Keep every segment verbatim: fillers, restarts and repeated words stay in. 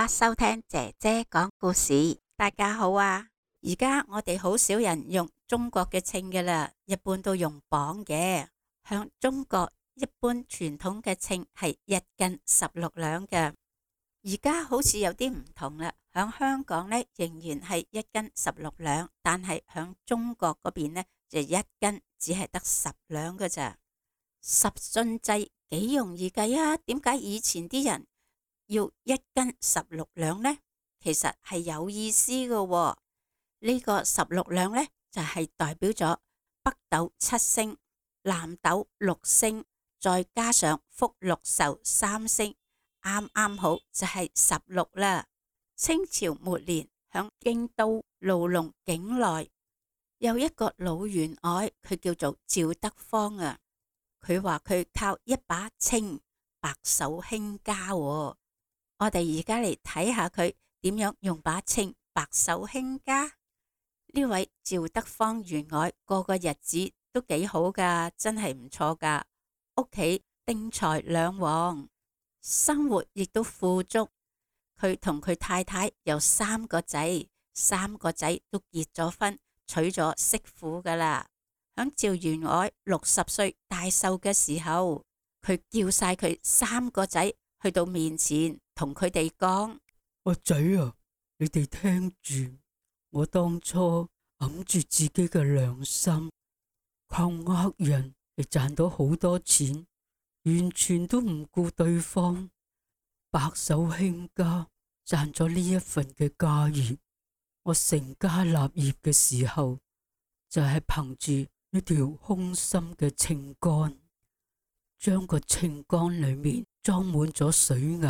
家收聽姐姐講故事。大家好啊！而家我哋好少人用中國嘅稱㗎喇，一般都用磅嘅。響中國一般傳統嘅稱係一斤十六兩嘅，而家好似有啲唔同啦。響香港呢，仍然係一斤十六兩，但係響中國嗰邊呢，就一斤只係得十兩㗎咋。十進制幾容易計啊？點解以前啲人要一斤十六兩呢？其實係有意思嘅喎。呢個十六兩呢，就係代表咗北斗七星、南斗六星，再加上福祿壽三星，啱啱好就係十六啦。清朝末年，響京都盧龍境內有一個老員外，佢叫做趙德芳啊。佢話佢靠一把秤白手興家喎。我哋而家嚟睇下佢點樣用把秤白手興家。呢位趙德芳員外過個日子都幾好噶，真係唔錯噶。屋企丁財兩旺，生活亦都富足。佢同佢太太有三個仔，三個仔都結咗婚，娶咗媳婦噶啦。響趙員外六十歲大壽嘅時候，佢叫晒佢三個仔去到面前，同佢哋講：阿仔啊，你哋聽住，我當初揞住自己嘅良心，靠呃人嚟賺到好多錢，完全都唔顧對方，白手興家，賺咗呢一份嘅家業。我成家立業嘅時候，就係憑住一條空心嘅秤杆，將個秤杆裏面裝滿咗水銀，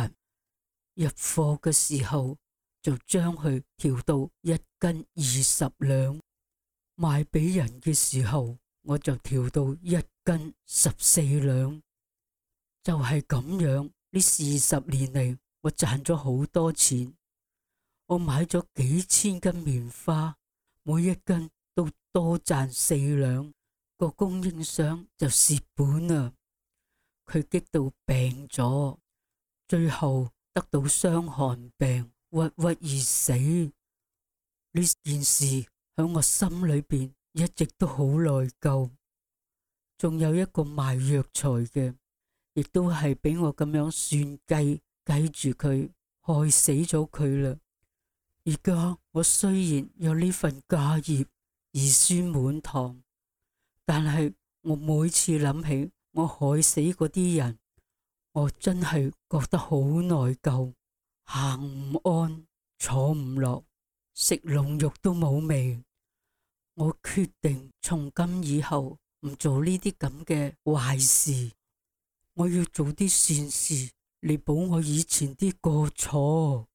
入貨嘅時候就將佢調到一斤二十兩，賣俾人嘅時候我就調到一斤十四兩。就係咁樣，呢四十年嚟，我賺咗好多錢。我買咗幾千斤棉花，每一斤都多賺四兩，個供應商就蝕本啦。佢激到病咗，最後得到傷寒病，鬱鬱而死。呢件事喺我心裏邊一直都好內疚。仲有一個賣藥材嘅，亦都係俾我咁樣算計計住佢，害死咗佢啦。而家我雖然有呢份家業，兒孫滿堂，但係我每次諗起我害死嗰啲人，我真係覺得好內疚，行唔安，坐唔落，食龍肉都冇味。我決定從今以後唔做呢啲咁嘅壞事，我要做啲善事嚟補我以前啲過錯。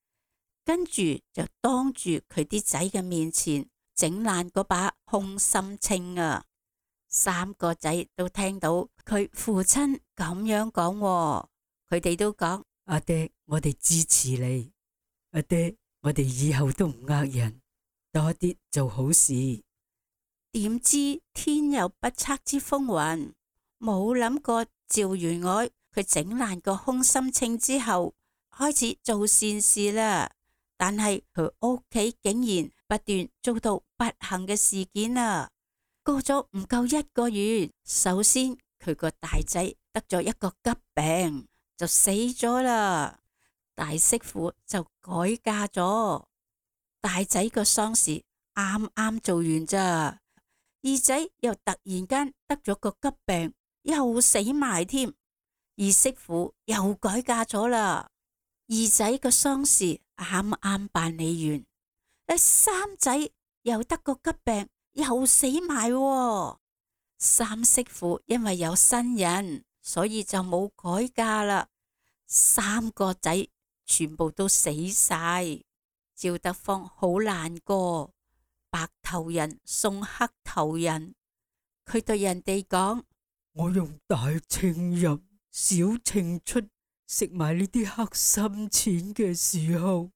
跟住就當住佢啲仔嘅面前整爛嗰把空心秤啊！三個仔都聽到佢父親咁樣講喎，佢哋都講：阿爹，我哋支持你。阿爹，我哋以後都唔呃人，多啲做好事。點知天有不測之風雲，冇諗過趙員外佢整爛個空心秤之後，開始做善事啦。但係佢屋企竟然不斷遭到不幸嘅事件啊！過咗唔夠一個月，首先佢個大仔得咗一個急病，就死咗啦。大媳婦就改嫁咗，大仔個喪事啱啱做完咋，二仔又突然間得咗個急病，又死埋添。二媳婦又改嫁咗啦，二仔個喪事啱啱辦理完，三仔又得個急病，又死埋喎。三媳婦因為有新人，所以就冇改嫁啦。三個仔全部都死晒，趙德芳好難過，白頭人送黑頭人。佢對人哋講：我用大秤入，小秤出，食埋呢啲黑心錢嘅時候，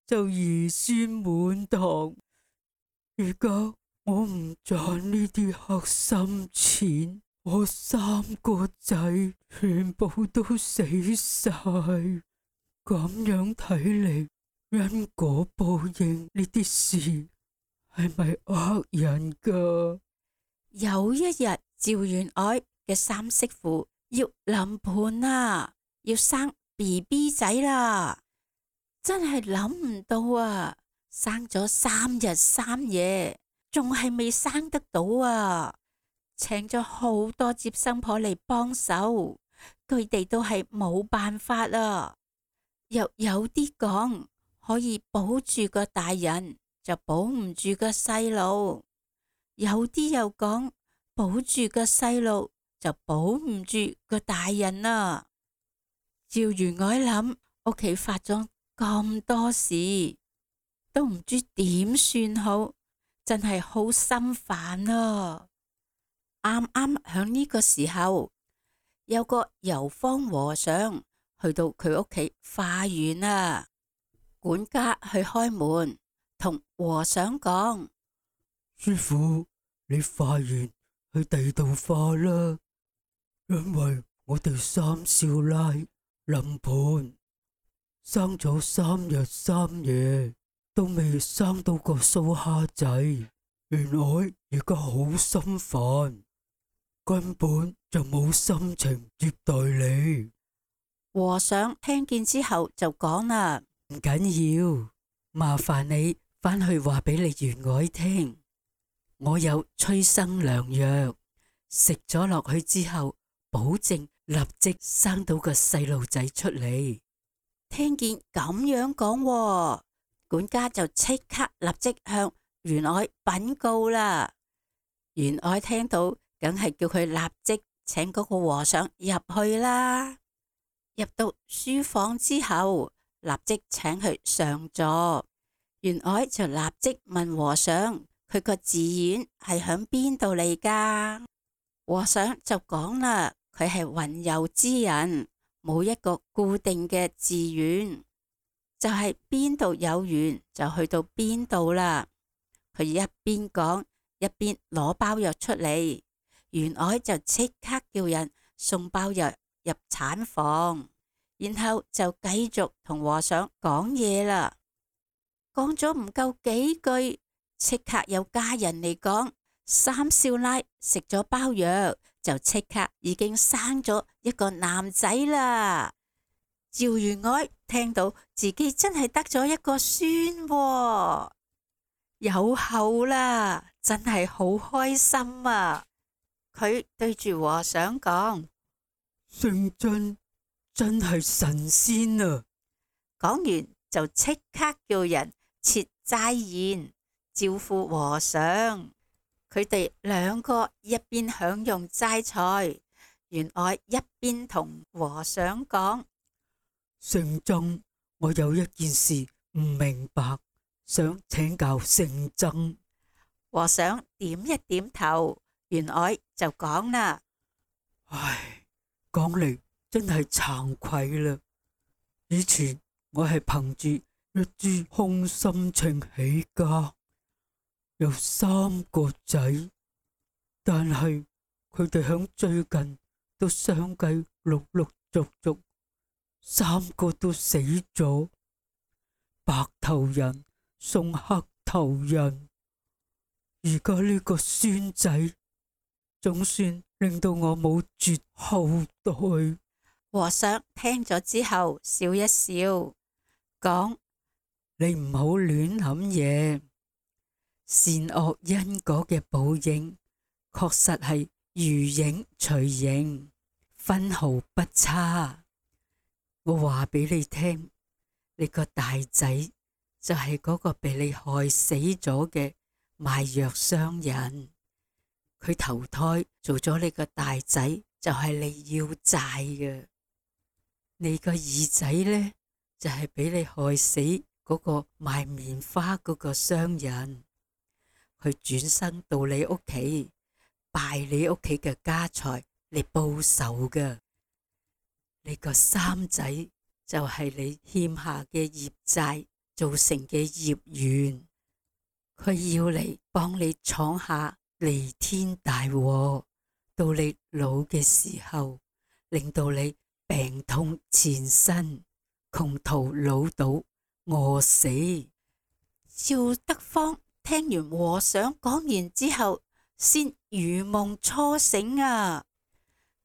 就兒孫滿堂。而家我唔賺呢啲黑心錢，我三個仔全部都死晒。咁樣睇嚟，因果報應呢啲事係咪呃人噶？有一日，趙員外嘅三媳婦要臨盆啦，要生 B B 仔啦，真係諗唔到啊！生咗三日三夜，仲係未生得到啊！請咗好多接生婆嚟幫手，佢哋都係冇辦法啊！又有啲講可以保住個大人，就保唔住個細路；有啲又講保住個細路，就保唔住個大人啊！趙員外諗屋企發咗咁多事，都唔知點算好，真係好心煩啊！啱啱響呢個時候，有個遊方和尚去到佢屋企化緣啊，管家去開門，同和尚講：師父，你化緣去地道化啦，因為我哋三少奶臨盆生咗三日三夜，都未生到個蘇蝦仔，員外而家好心煩，根本就冇心情接待你。和尚聽見之後就講啦：唔緊要，麻煩你返去話俾你員外聽，我有催生良藥，食咗落去之後，保證立即生到個細路仔出嚟。聽見咁樣講，管家就即刻立即向員外稟告啦。員外聽到，梗係叫佢立即請嗰個和尚入去啦。入到書房之後，立即請佢上座。員外就立即問和尚：佢個寺院係響邊度嚟噶？和尚就講啦，佢係雲遊之人，冇一個固定嘅寺院，就係邊度有緣就去到邊度啦。佢一邊講，一邊攞包藥出嚟。員外就即刻叫人送包藥入產房，然後就繼續同和尚講嘢啦。講咗唔夠幾句，即刻有家人嚟講，三少奶食咗包藥，就即刻已經生咗一個男仔啦。趙員外聽到自己真係得咗一個孫喎，有後啦，真係好開心啊！佢對住和尚講：聖真真係神仙啊！講完就即刻叫人設齋宴招呼和尚。佢哋兩個一邊享用齋菜，員外一邊同和尚講：聖僧，我有一件事唔明白，想請教聖僧。和尚點一點頭，員外就講啦：唉，講嚟真係慚愧啦。以前我係憑住一支空心情起家，有三個仔，但係佢哋響最近都相繼陸陸續續，三個都死咗。白頭人送黑頭人，而家呢個孫仔總算令到我冇絕後代。和尚聽咗之後笑一笑，講：你唔好亂諗嘢，善惡因果嘅報應確實係如影隨形，分毫不差。我話俾你聽，你個大仔就係嗰個被你害死咗嘅賣藥商人，佢投胎做咗你個大仔，就係你要債嘅。你個二仔呢，就係俾你害死嗰個賣棉花嗰個商人，佢轉生到你屋企，敗你屋企嘅家財嚟報仇嘅。你個三仔就係你欠下嘅業債造成嘅業緣，佢要嚟幫你闖下彌天大禍，到你老嘅時候，令到你病痛纏身，窮途潦倒，餓死。趙德芳聽完和尚講完之後，先如夢初醒啊！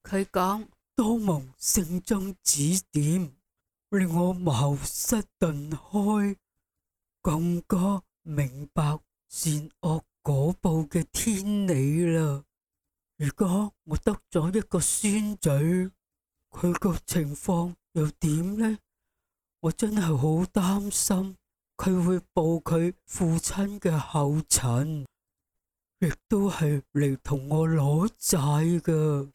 佢講：多蒙聖僧指點，令我茅塞頓開，更加明白善惡果報嘅天理啦。而家我得咗一個孫仔，佢個情況又點呢？我真係好擔心佢會步佢父親嘅後塵，亦都係嚟同我攞債噶。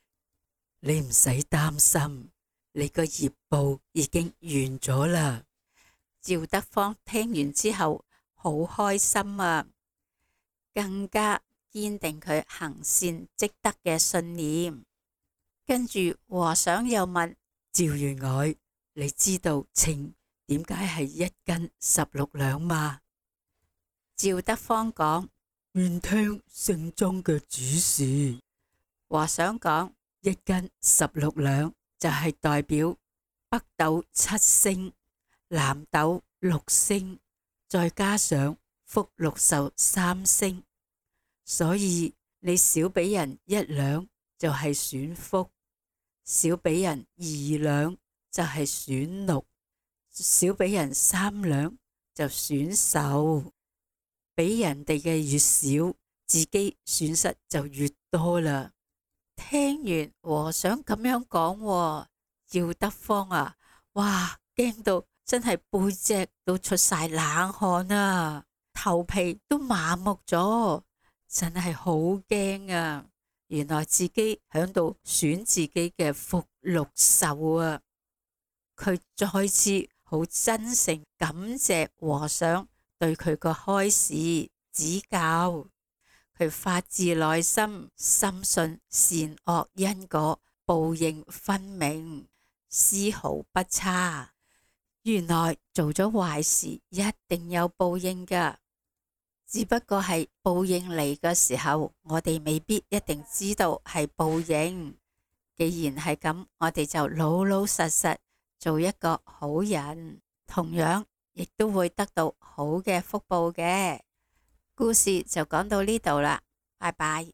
你唔使擔心，你個業報已經完咗啦。趙德芳聽完之後好開心啊，更加堅定佢行善積德嘅信念。跟住和尚又問趙員外：你知道秤點解係一斤十六兩嗎？趙德芳講：願聽聖僧嘅指示。和尚講：一斤十六兩就係代表北斗七星、南斗六星，再加上福祿壽三星，所以你少俾人一兩就係損福，少俾人二兩就係損祿，少俾人三兩就損壽。俾人哋嘅越少，自己損失就越多啦。聽完和尚咁樣講，趙德芳啊，哇，驚到真係背脊都出晒冷汗啊，頭皮都麻木咗，真係好驚啊！原來自己響度損自己嘅福祿壽啊！佢再次好真誠感謝和尚對佢個開示指教。佢發自內心深信善惡因果報應分明，絲毫不差。原來做咗壞事一定有報應噶，只不過係報應嚟嘅時候，我哋未必一定知道係報應。既然係咁，我哋就老老實實做一個好人，同樣亦都會得到好嘅福報嘅。故事就講到呢度啦，拜拜。